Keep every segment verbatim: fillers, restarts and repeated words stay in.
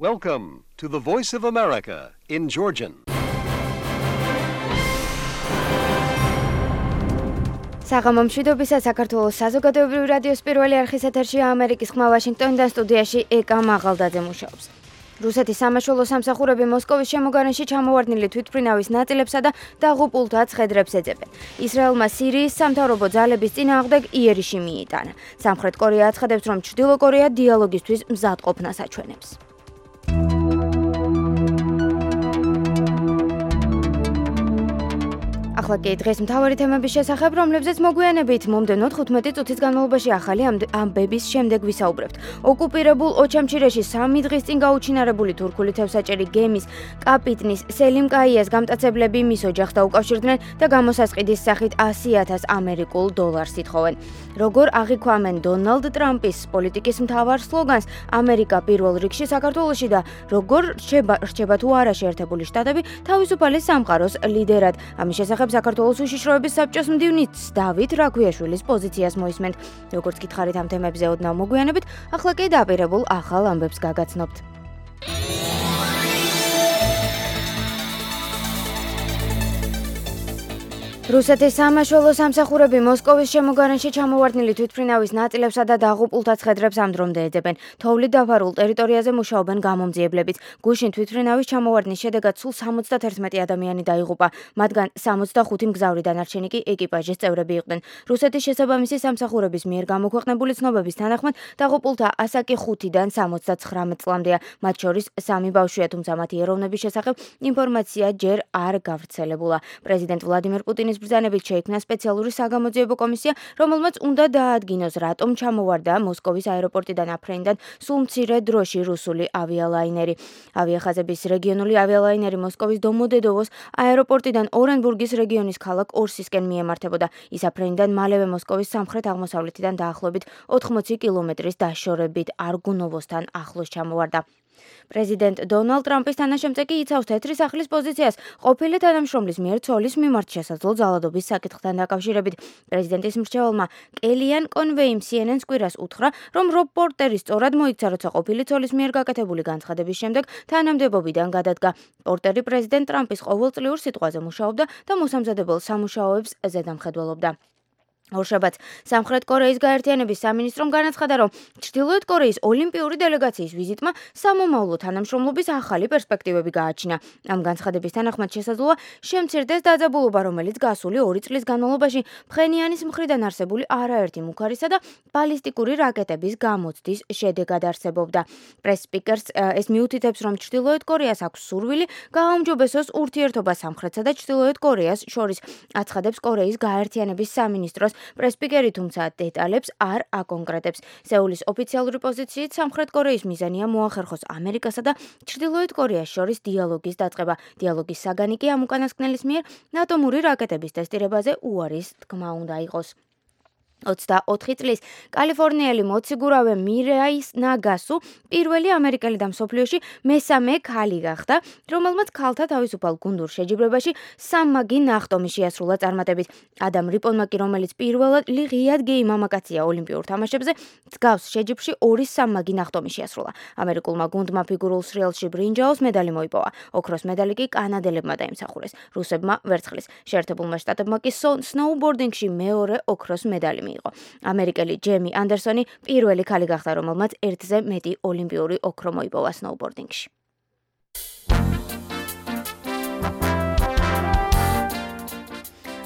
Welcome to the Voice of America in Georgian. საღამო მშვიდობისა საქართველოს საზოგადოებრივი რადიოს პირველი არხის ეთერშია ამერიკის ხმა ვაშინგტონიდან სტუდიაში ეკა მაღალდაძე მუშაობს. რუსეთის სამაშველო სამსახურები მოსკოვის შემოგარენში ჩამოვარდნილი თვითმფრინავის ნაწილებსა და დაღუპულთა ცხედრებს ეძებენ. ისრაელმა სირიის სამთავრობო ძალების წინააღმდეგ იერიში მიიტანა. სამხრეთ კორეა აცხადებს, რომ ჩრდილო კორეა დიალოგისთვის მზადყოფნას აჩვენებს. ახლა კი დღეს მთავარი თემების შესახებ, რომლებზეც მოგვიანებით მომდევნო თხუთმეტი წუთის განმავლობაში ახალი ამბების შემდეგ ვისაუბრებთ. ოკუპირებულ ოჩამჩირეში სამი დღის წინ გაუჩინარებული თურქული თევზაჭერი გემის კაპიტნის სელიმ კაიას გამტაცებლები მის ოჯახს დაუკავშირდნენ და გამოსასყიდის სახით ასი ათას ამერიკულ დოლარს ითხოვენ. როგორ აღიქვამენ დონალდ ტრამპის პოლიტიკის მთავარ სლოგანს ამერიკა პირველ რიგში საქართველოში და როგორ რჩება თუ არა შეერთებული შტატები თავისუფალი სამყაროს ლიდერად. ამის შესახებ საქართველოს უშიშროების საბჭოს მდივნიც დავით რაქვიაშვილის პოზიციას მოისმენთ. როგორც გითხარით ამ თემებზე ოდნავ მოგვიანებით, ახლა კი დაპირებულ ახალ ამბებს გაგაცნობთ. რუსეთის სამაშველო სამსახურები მოსკოვის შემოგარენში ჩამოვარდნილი თვითმფრინავის ნაწილებსა და დაღუპულთა ცხედრებს ამ დრომდე ეძებენ. თოვლით დაფარულ ტერიტორიაზე მუშაობენ გამომძიებლებიც. გუშინ თვითმფრინავის ჩამოვარდნის შედეგად სულ სამოცდაერთმეტი ადამიანი დაიღუპა. მათგან სამოცდახუთი მგზავრი, დანარჩენი კი ეკიპაჟის წევრები იყვნენ. რუსეთის შესაბამისი სამსახურების მიერ გამოქვეყნებული ცნობების თანახმად დაღუპულთა ასაკი ხუთიდან სამოცდაცხრამეტ წლამდეა. მათ შორის სამი ბავშვია, თუმცა მათი ეროვნების შესახებ ინფორმაცია ჯერ არ გავრცელებულა. პრეზიდენტ ვლადიმერ პუტინის ბრძანებით შეიქმნა სპეციალური საგამოძიებო კომისია, რომელმაც უნდა დაადგინოს, რატომ ჩამოვარდა მოსკოვის აეროპორტიდან აფრენიდან სულ მცირე დროში რუსული ავიალაინერი. ავიახაზების რეგიონული ავიალაინერი მოსკოვის დომოდედოვოს აეროპორტიდან ორენბურგის რეგიონის ქალაქ ორსისკენ მიემართებოდა. ის აფრენიდან მალევე მოსკოვის სამხრეთ-აღმოსავლეთიდან დაახლოებით ოთხმოცი კილომეტრის დაშორებით არგუნოვოსთან ახლოს ჩამოვარდა. პრეზიდენტ დონალდ ტრამპის თანაშემწე კი იცავს თეთრი სახლის პოზიციას ყოფილი თანამშრომლის მიერ ცოლის მიმართ შესაძლო ძალადობის საკითხთან დაკავშირებით. პრეზიდენტის მრჩეველმა კელიან კონვეიმ სი en en-ს კვირას უთხრა, რომ რობ პორტერი სწორად მოიქცა, როცა ყოფილი ცოლის მიერ გაკეთებული განცხადების შემდეგ თანამდებობიდან გადადგა. პორტერი პრეზიდენტ ტრამპის ყოველწლიურ სიტყვაზე მუშაობდა და მოსამზადებელ სამუშაოებს ზედამხედველობდა. ორშაბათს სამხრეთ კორეის გაერთიანების სამინისტრომ განაცხადა, რომ ჩრდილოეთ კორეის ოლიმპიური დელეგაციის ვიზიტმა სამომავლო თანამშრომლობის ახალი პერსპექტივები გააჩინა. ამ განცხადების თანახმად შესაძლოა შემცირდეს დაძაბულობა, რომელიც გასული ორი წლის განმავლობაში ფხენიანის მხრიდან არსებული არაერთი მუქარისა და ბალისტიკური რაკეტების გამოცდის შედეგად არსებობდა. პრეს-სპიკერს ეს მიუთითებს, რომ ჩრდილოეთ კორეას აქვს სურვილი გააუმჯობესოს ურთიერთობა სამხრეთსა და ჩრდილოეთ კორეას შორის, აცხადებს კორეის გაერთიანების სამინისტროს პრეს-სპიკერი, თუმცა დეტალებს არ აკონკრეტებს. სეულის ოფიციალური პოზიციით სამხრეთ კორეის მიზანია მოახერხოს ამერიკასა და ჩრდილოეთ კორეას შორის დიალოგის დაწყება. დიალოგის საგანი კი ამ უკანასკნელის მიერ ატომური რაკეტების ტესტირებაზე უარის თქმა უნდა იყოს. ოცდაოთხი წლის კალიფორნიელი მოციგურავე მირაის ნაგასუ პირველი ამერიკელი და მსოფლიოში მესამე ქალი გახდა, რომელმაც ქალთა თავისუფალ გუნდურ შეჯიბრებაში სამმაგი ნახტომი შეასრულა წარმატებით. ადამ რიპონმა კი, რომელიც პირველად ღიად გეი მამაკაცია ოლიმპიურ თამაშებზე, მსგავს შეჯიბრში ორი სამმაგი ნახტომი შეასრულა. ამერიკულმა გუნდმა ფიგურულ სრიალში ბრინჯაოს მედალი მოიპოვა. ოქროს მედალი კი კანადელებმა დაიმსახურეს, რუსებმა ვერცხლის. შეერთებულმა შტატებმა კი სნოუბორდინგში მეორე ოქროს მედალი იყო. ამერიკელი ჯემი ანდერსონი პირველი ქალი გახდა, რომელმაც ერთზე მეტი ოლიმპიური ოქრო მოიპოვა სნოუბორდინგში.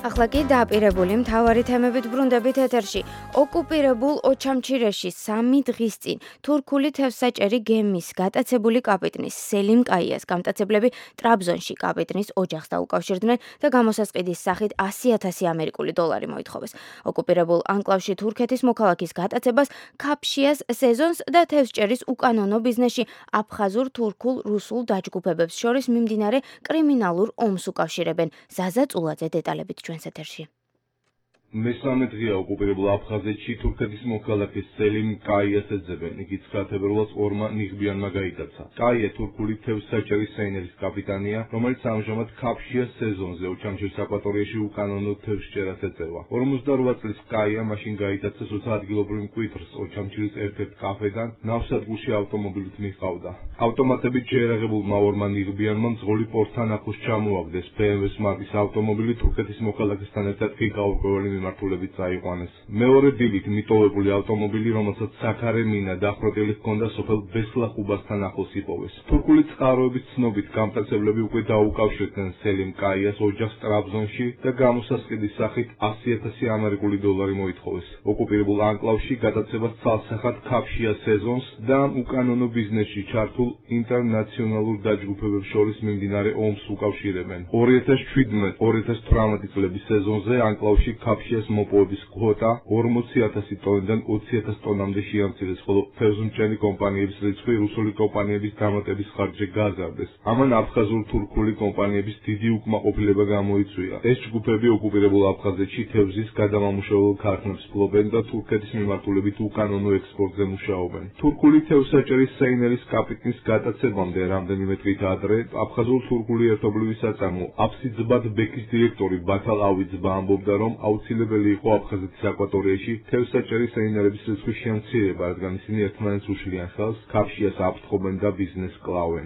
ახლა კი დაპირებული მთავარი თემებით ბრუნდებით ეთერში. ოკუპირებულ ოჩამჩირეში სამი დღის წინ თურქული თევზაჭერი გემის გატაცებული კაპიტნის სელიმ კაიას გამტაცებლები ტრაბზონში კაპიტნის ოჯახს დაუკავშირდნენ და გამოსასყიდის სახით ასი ათასი ამერიკული დოლარი მოითხოვეს. ოკუპირებულ ანკლავში თურქეთის მოქალაქის გატაცებას ქაფშიას სეზონს და თევზჭერის უკანონო ბიზნესში აფხაზურ, თურქულ, რუსულ დაჯგუფებებს შორის მიმდინარე კრიმინალურ ომს უკავშირებენ. ზაზა წულაძე დეტალებით ჩვენს ეთერში. მესამე დღეა ოკუპირებულ აფხაზეთში თურქეთის მოქალაქე სელიმ კაიას ეძებენ. იგი ცხრა თებერვალს ორმა ნიღბიანმა გაიტაცა. კაია თურქული თევზსაჭერის საინერის კაპიტანია, რომელიც ამჟამად ქაფშიას სეზონზე ოჩამჩირის აკვატორიაში უკანონო თევზჭერას ეწევა. ორმოცდაორვა წლის კაია მაშინ გაიტაცა, როცა ადგილობრივ მკვიდრს ოჩამჩირის ერთ-ერთ კაფედან ნავსადგურში ავტომობილით მიჰყავდა. ავტომატებით შეერაღებულმა ორმა ნიღბიანმა მძღოლი პორტთან ახლოს ჩამოაგდეს. ბე ემ ვეს მარკის ავტომობილი თურქეთის მოქალაქესთან ერთად ფიგაურკვეველი მიმართულებით წაიყვანეს. მეორე დილით მიტოვებული ავტომობილი, რომელსაც საქარე მინა დახვრეტილი ჰქონდა, სოფელ ბესლახუბასთან ახლოს იპოვეს. თურქული წყაროების ცნობით გამტაცებლები უკვე დაუკავშირდნენ სელიმ კაიას ოჯახს ტრაბზონში და გამოსასყიდის სახით ასი ათასი ამერიკული დოლარი მოითხოვეს. ოკუპირებულ ანკლავში გადაცემას ცალსახად ქაფშია სეზონს და უკანონო ბიზნესში ჩართულ ინტერნაციონალურ დაჯგუფებებს შორის მიმდინარე ომს უკავშირებენ. ორი ათას შვიდმეტ ორი ათას თვრამეტი წლების სეზონზე ანკლავში ქაფშიას მოპოვების კვოტა ორმოცი ათასი ტონიდან ოცი ათას ტონამდე შეამცირეს, ხოლო თევზმჭერი კომპანიების რიცხვი რუსული კომპანიების დამატების ხარჯზე გაზარდეს. ამან აფხაზურ-თურქული კომპანიების დიდი უკმაყოფილება გამოიწვია. ეს ჯგუფები ოკუპირებულ აფხაზეთში თევზის გადამამუშავებელ ქარხნებს ფლობენ და თურქეთის მიმართულებით უკანონო ექსპორტზე მუშაობენ. თურქული თევზსაჭერის საინერის კაპიტნის გადაცემამდე რამდენიმე დღით ადრე აფხაზურ-თურქული ერთობლივი საწარმო აფსიძბად ბექის დირექტორი ბათალ ავიძბა ამბობდა, რომ აუცილებელი იყო აფხაზეთის აკვატორიაში თევზსაჭერის საინერების რიცხვის შემცირება, რადგან ისინი ერთმანეთს უშლიან ხელს, ქაფშიას აფრთხობენ და ბიზნესს კლავენ.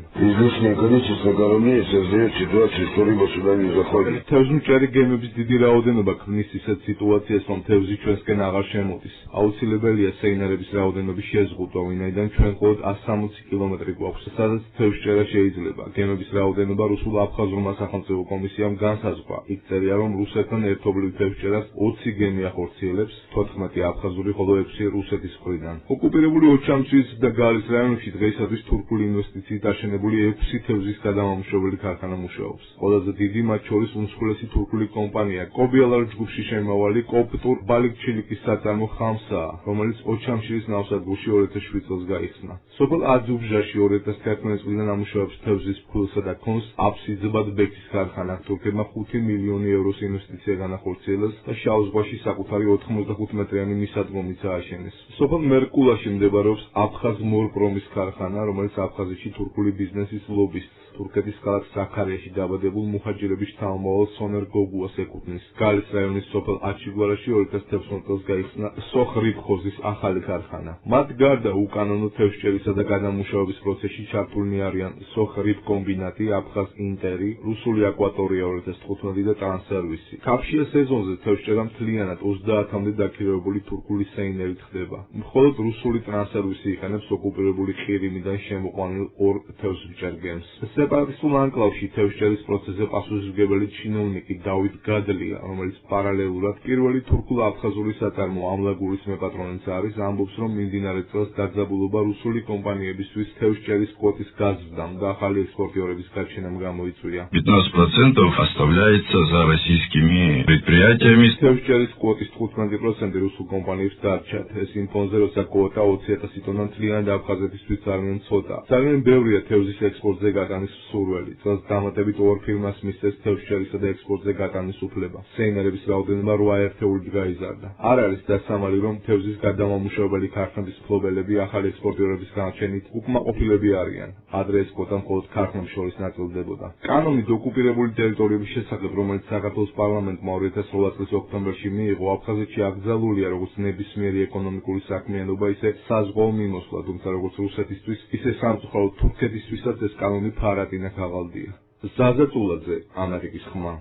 თევზმჭერი გემების დიდი რაოდენობა ქმნის ისეთ სიტუაციას, რომ თევზი ჩვენსკენ აღარ შემოდის. აუცილებელია საინერების რაოდენობის შეზღუდვა, ვინაიდან ჩვენ მხოლოდ ასი სამოცი კილომეტრი გვაქვს, სადაც თევზჭერა შეიძლება. გემების რაოდენობა რუსულ-აფხაზურმა სახელმწიფო კომისიამ განსაზღვრა. იქ წერია, რომ რუსეთთან ერთობლივ თევზჭერას ოცი გემი ახორციელებს, თოთხმეტი აფხაზური, ხოლო ექვსი რუსეთის მხრიდან. ოკუპირებული ოჩამჩის და გალის რაიონებში დღეისათვის თურქული ინვესტიციით აშენებული ექვსი თევზის გადამამუშავებელი ქარხანა მუშაობს. ყველაზე დიდი მათ შორის უმსხვილესი თურქული კომპანია კობიალარ ჯგუფში შემავალი კოპტურ ბალიქჩილიკის საწარმო ხამსაა, რომელიც ოჩამჩირის ნავსადგურში ორი ათას შვიდ წელს გაიხსნა. სოფელ აძუბჟაში ორი ათას თერთმეტი წლიდან ამუშავებს თევზის ფქვილსა და კონს აფსიძბად ბექის ქარხანა. თურქებმა ხუთი მილიონი ევროს ინვესტიცია განახორციელეს და შავ ზღვაში საკუთარი ოთხმოცდახუთ მეტრიანი მისადგომიც ააშენეს. სოფელ მერკულაში მდებარეობს აფხაზ მორპრომის ქარხანა, რომელიც აფხაზეთში თურქული ბიზნესის ლობისტს, თურქეთის ქალაქ საქარიაში დაბადებულ მუჰაჯირების შთამომავალ სონერ გოგუას ეკუთვნის. გალის რაიონის სოფელ აჩიგვარაში ორი ათას თერთმეტ წელს გაიხსნა სოხრიბხოზის ახალი ქარხანა. მათ გარდა უკანონო თევზჭერისა და გადამუშავების პროცესში ჩართულნი არიან სოხრიბკომბინატი, აფხაზ ინტერი, რუსული აკვატორია ორი ათას თხუთმეტი და ტრანსსერვისი. ქაფშია სეზონზე თევზჭერა მთლიანად ოცდაათამდე დაქირავებული თურქული საინერით ხდება. მხოლოდ რუსული ტრანსსერვისი იყენებს ოკუპირებული ყირიმიდან შემოყვანილ ორ თევზმჭერ გემს. სეპარატისტულ ანკლავში თევზჭერის პროცესზე პასუხისმგებელი ჩინოვნიკი დავით გადლია, რომელიც პარალელურად პირველი თურქულ-აფხაზური საწარმო ამლაგურის მეპატრონეც არის, ამბობს, რომ მიმდინარე წელს დაძაბულობა რუსული კომპანიებისთვის თევზჭერის კვოტის გაზრდამ და ახალი ექსპორტიორების გაჩენამ გამოიწვია. пятнадцать процентов оставляется за российскими предприятиями. თევზჭერის კვოტის თხუთმეტი პროცენტი რუსულ კომპანიებს დარჩათ. ეს იმ ფონზე, როცა კვოტა ოცი ათასი ტონა მთლიანად აფხაზეთისთვის ძალიან ცოტა. ძალიან ბევრია თევზის ექსპორტზე გატანის სურველი. წელს დამატებით ორ ფირმას მისცეს თევზჭერისა და ექსპორტზე გატანის უფლება. საინერების რაოდენობა რვა ერთეულით გაიზარდა. არ არის დასამალი, რომ თევზის გადამამუშავებელი ქარხნების მფლობელები ახალი ექსპორტიორების განაჩენით უკმაყოფილები არიან. ადრე ეს კვოტა მხოლოდ ქარხნებს შორის ნაწილდებოდა. კანონით ოკუპირებული ტერიტორიების შესახებ, რომელიც საქართველოს პარლამენტმა ორი ათას რვა წლის ოქტომბერში მიიღო, აფხაზეთში აკრძალულია როგორც ნებისმიერი ეკონომიკური საქმიანობა, ისე საზღვაო მიმოსვლა, თუმცა როგორც რუსეთისთვის, ისე სამწუხაროდ თურქეთისთვისაც ეს კანონი ფარატინა ქაღალდია. ზაზა წულაძე, ამერიკის ხმა.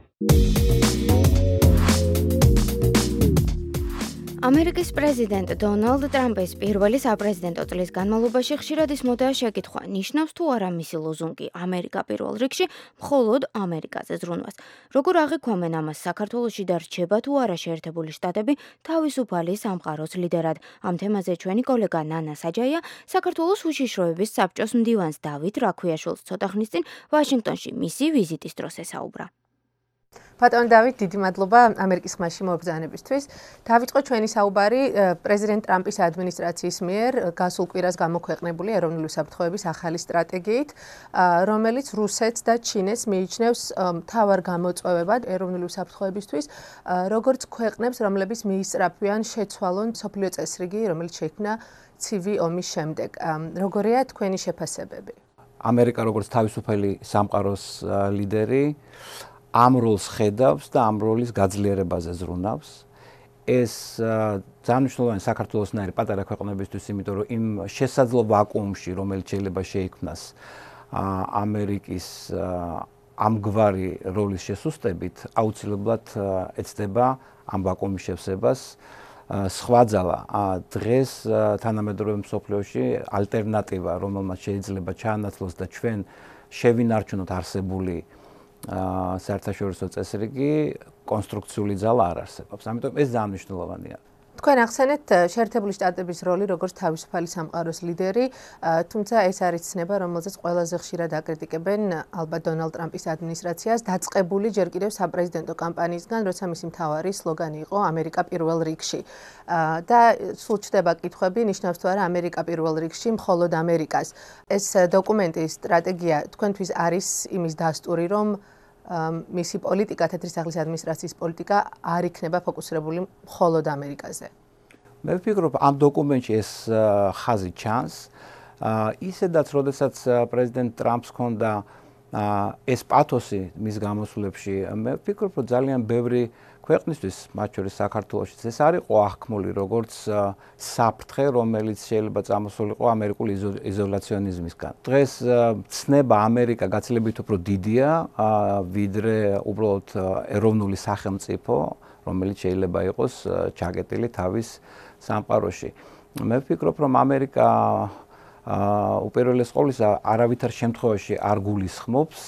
ამერიკის პრეზიდენტ დონალდ ტრამპის პირველი საპრეზიდენტო წლის განმავლობაში ხშირად ისმოდა შეკითხვა, ნიშნავს თუ არა მისი ლოზუნგი ამერიკა პირველ რიგში მხოლოდ ამერიკაზე ზრუნვას. როგორ აღიქვამენ ამას საქართველოში და რჩება თუ არა შეერთებული შტატები თავისუფალი სამყაროს ლიდერად? ამ თემაზე ჩვენი კოლეგა ნანა საჯაია საქართველოს უშიშროების საბჭოს მდივანს დავით რაქვიაშვილს ცოტა ხნის წინ ვაშინგტონში მისი ვიზიტის დროს ესაუბრა. ბატონ დავით, დიდი მადლობა ამერიკის ხმაში მობრძანებისთვის. დავიწყოთ ჩვენი საუბარი პრეზიდენტ ტრამპის ადმინისტრაციის მიერ გასულ კვირას გამოქვეყნებული ეროვნული უსაფრთხოების ახალი სტრატეგიით, რომელიც რუსეთს და ჩინეთს მიიჩნევს მთავარ გამოწვევებად ეროვნული უსაფრთხოებისთვის, როგორც ქვეყნებს, რომლებიც მიისწრაფვიან შეცვალონ მსოფლიო წესრიგი, რომელიც შეიქმნა ცივი ომის შემდეგ. როგორია თქვენი შეფასებები? ამერიკა როგორც თავისუფალი სამყაროს ლიდერი ამ როლს ხედავს და ამ როლის გაძლიერებაზე ზრუნავს. ეს ძალიან მნიშვნელოვანი საქართველოსნაირი პატარა ქვეყნებისთვის, იმიტომ რომ იმ შესაძლო ვაკუუმში, რომელიც შეიძლება შეიქმნას ამერიკის ამგვარი როლის შესუსტებით, აუცილებლად ეცდება ამ ვაკუუმის შევსებას. სხვა ძალა დღეს თანამედროვე მსოფლიოში ალტერნატივა, რომელმაც შეიძლება ჩაანაცვლოს და ჩვენ შევინარჩუნოთ არსებული საერთაშორისო წესრიგი, კონსტრუქციული ძალა არ არსებობს. ამიტომ ეს ძალიან მნიშვნელოვანია. თქვენ ახსენეთ შეერთებული შტატების როლი როგორც თავისუფალი სამყაროს ლიდერი, თუმცა ეს არის ცნება, რომელზეც ყველაზე ხშირად აკრიტიკებენ ალბათ დონალდ ტრამპის ადმინისტრაციას, დაწყებული ჯერ კიდევ საპრეზიდენტო კამპანიისგან, როცა მისი მთავარი სლოგანი იყო ამერიკა პირველ რიგში. და სულ ჩდება კითხვები, ნიშნავს თუ არა ამერიკა პირველ რიგში, მხოლოდ ამერიკას. ეს დოკუმენტი, სტრატეგია თქვენთვის არის იმის დასტური, რომ მისი პოლიტიკა, თეთრისაღლის ადმინისტრაციის პოლიტიკა არ იქნება ფოკუსირებული მხოლოდ ამერიკაზე. მე ვფიქრობ, ამ დოკუმენტში ეს ხაზი ჩანს. ისედაც, როდესაც პრეზიდენტ ტრამპს ჰქონდა ეს პათოსი მის გამოსვლებში, მე ვფიქრობ, რომ ძალიან ბევრი ქვეყნისთვის, მათ შორის საქართველოშიც, ეს არ იყო აღქმული როგორც საფრთხე, რომელიც შეიძლება წამოსულიყო ამერიკული იზოლაციონიზმისგან. დღეს ცნება ამერიკა გაცილებით უფრო დიდია, ვიდრე უბრალოდ ეროვნული სახელმწიფო, რომელიც შეიძლება იყოს ჩაკეტილი თავის სამყაროში. მე ვფიქრობ, რომ ამერიკა უპირველეს ყოვლისა არავითარ შემთხვევაში არ გულისხმობს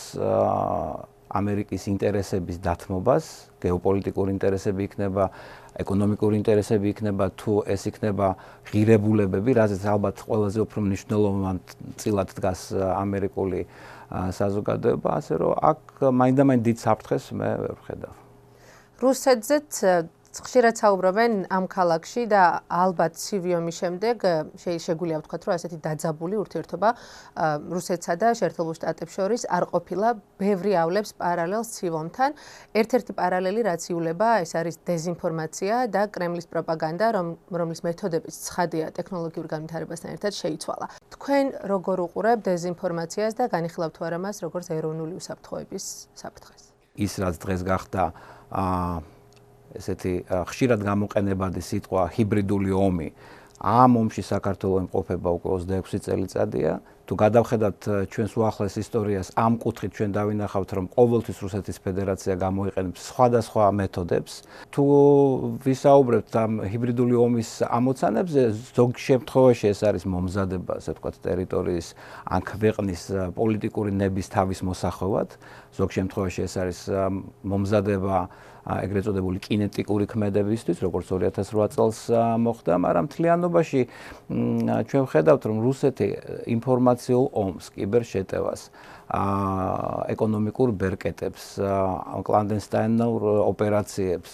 ამერიკის ინტერესების დათმობას, გეოპოლიტიკური ინტერესები იქნება, ეკონომიკური ინტერესები იქნება, თუ ეს იქნება ღირებულებები, რაზეც ალბათ ყველაზე უფრო მნიშვნელოვანწილად დგას ამერიკული საზოგადოება, ასე რომ აქ მაინდამაინც დიდ საფრთხეს მე ვერ ვხედავ. რუსეთზეც ხშირად საუბრობენ ამ ქალაქში და ალბათ ცივი ომის შემდეგ შეგვიძლია ვთქვათ, რომ ასეთი დაძაბული ურთიერთობა რუსეთსა და შეერთებულ შტატებს შორის არ ყოფილა, ბევრი ავლებს პარალელს ცივ ომთან. ერთ-ერთი პარალელი რაც იულება, ეს არის დეზინფორმაცია და კრემლის პროპაგანდა, რომლის მეთოდებიც ცხადია ტექნოლოგიურ განვითარებასთან ერთად შეიცვალა. თქვენ როგორ უყურებთ დეზინფორმაციას და განიხილავთ თუ არა მას როგორც ეროვნული უსაფრთხოების საფრთხეს? ის რაც დღეს გახდა ესეთი ხშირად გამოყენებადი სიტყვა ჰიბრიდული ომი. ამ ომში საქართველოს იმყოფება უკვე ოცდაექვსი წელიწადია. თუ გადავხედავთ ჩვენს უახლეს ისტორიას, ამ კუთხით ჩვენ დავინახავთ, რომ ყოველთვის რუსეთის ფედერაცია გამოიყენებს სხვადასხვა მეთოდებს. თუ ვისაუბრებთ ამ ჰიბრიდული ომის ამოცანებზე, ზოგ შემთხვევაში ეს არის მომზადება, ასე ვთქვათ, ტერიტორიის ან ქვეყნის პოლიტიკური ნების თავის მოსახვევად. ზოგ შემთხვევაში ეს არის მომზადება ეგრეთ წოდებული კინეტიკური ქმედებისთვის, როგორც ორი ათას რვა წელს მოხდა, მაგრამ მთლიანობაში ჩვენ ვხედავთ, რომ რუსეთი ინფორმაციულ ომს, კიბერშეტევას, ეკონომიკურ ბერკეტებს, კლანდესტაინურ ოპერაციებს,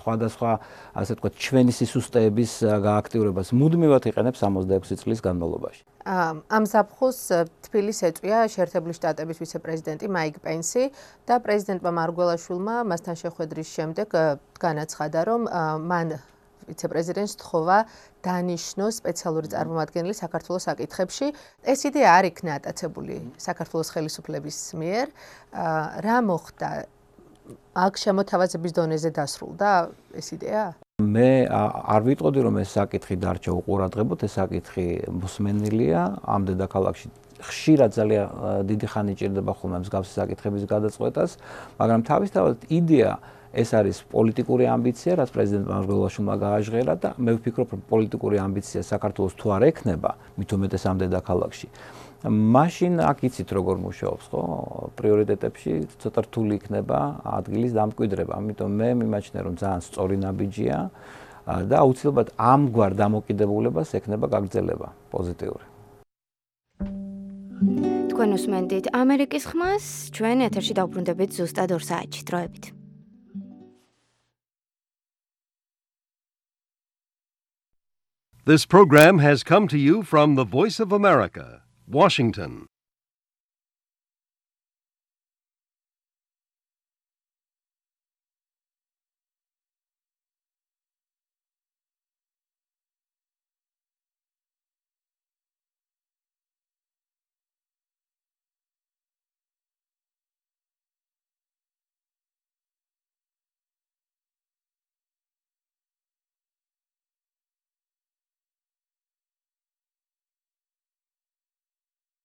სხვადასხვა, ასე ვთქვათ, ჩვენი სისუსტეების გააქტიურებას მუდმივად იყენებს ოცდაექვსი წლის განმავლობაში. ამ ზაფხულს თბილისს ეწვია შეერთებული შტატების ვიცე-პრეზიდენტი მაიკ პენსი და პრეზიდენტმა მარგველაშვილმა მასთან შეხვედრის შემდეგ განაცხადა, რომ მან ვიცე-პრეზიდენტს თხოვა დანიშნოს სპეციალური წარმომადგენელი საქართველოს საკითხებში. ეს იდეა არ იქნა ატაცებული საქართველოს ხელისუფლების მიერ. რა მოხდა? აქ შემოთავაზების დონეზე დასრულდა ეს იდეა? მე არ ვიტყოდი, რომ ეს საკითხი დარჩა უყურადღებოდ, ეს საკითხი მოსმენილია ამ დედაქალაქში. ხშირად ძალიან დიდი ხანი ჭირდება ხოლმე მსგავსი საკითხების გადაწყვეტას, მაგრამ თავისთავად იდეა ეს არის პოლიტიკური ამბიცია, რაც პრეზიდენტ მარგველაშვილმა გააჟღერა და მე ვფიქრობ, რომ პოლიტიკური ამბიცია საქართველოს თუ არ ექნება, მით უმეტეს ამ დედაქალაქში. მაშინ აქ იცით როგორ მუშაობს, ხო? პრიორიტეტებში ცოტა რთული იქნება ადგილის დამკვიდრება. ამიტომ მე მიმაჩნია, რომ ძალიან სწორი ნაბიჯია და აუცილებლად ამგვარ დამოკიდებულებას ექნება გაგრძელება პოზიტიური. თქვენ უსმენთ ამერიკის ხმას, ჩვენ ეთერში დავბრუნდებით ზუსტად ორ საათში დროებით. This program has come to you from the Voice of America, Washington.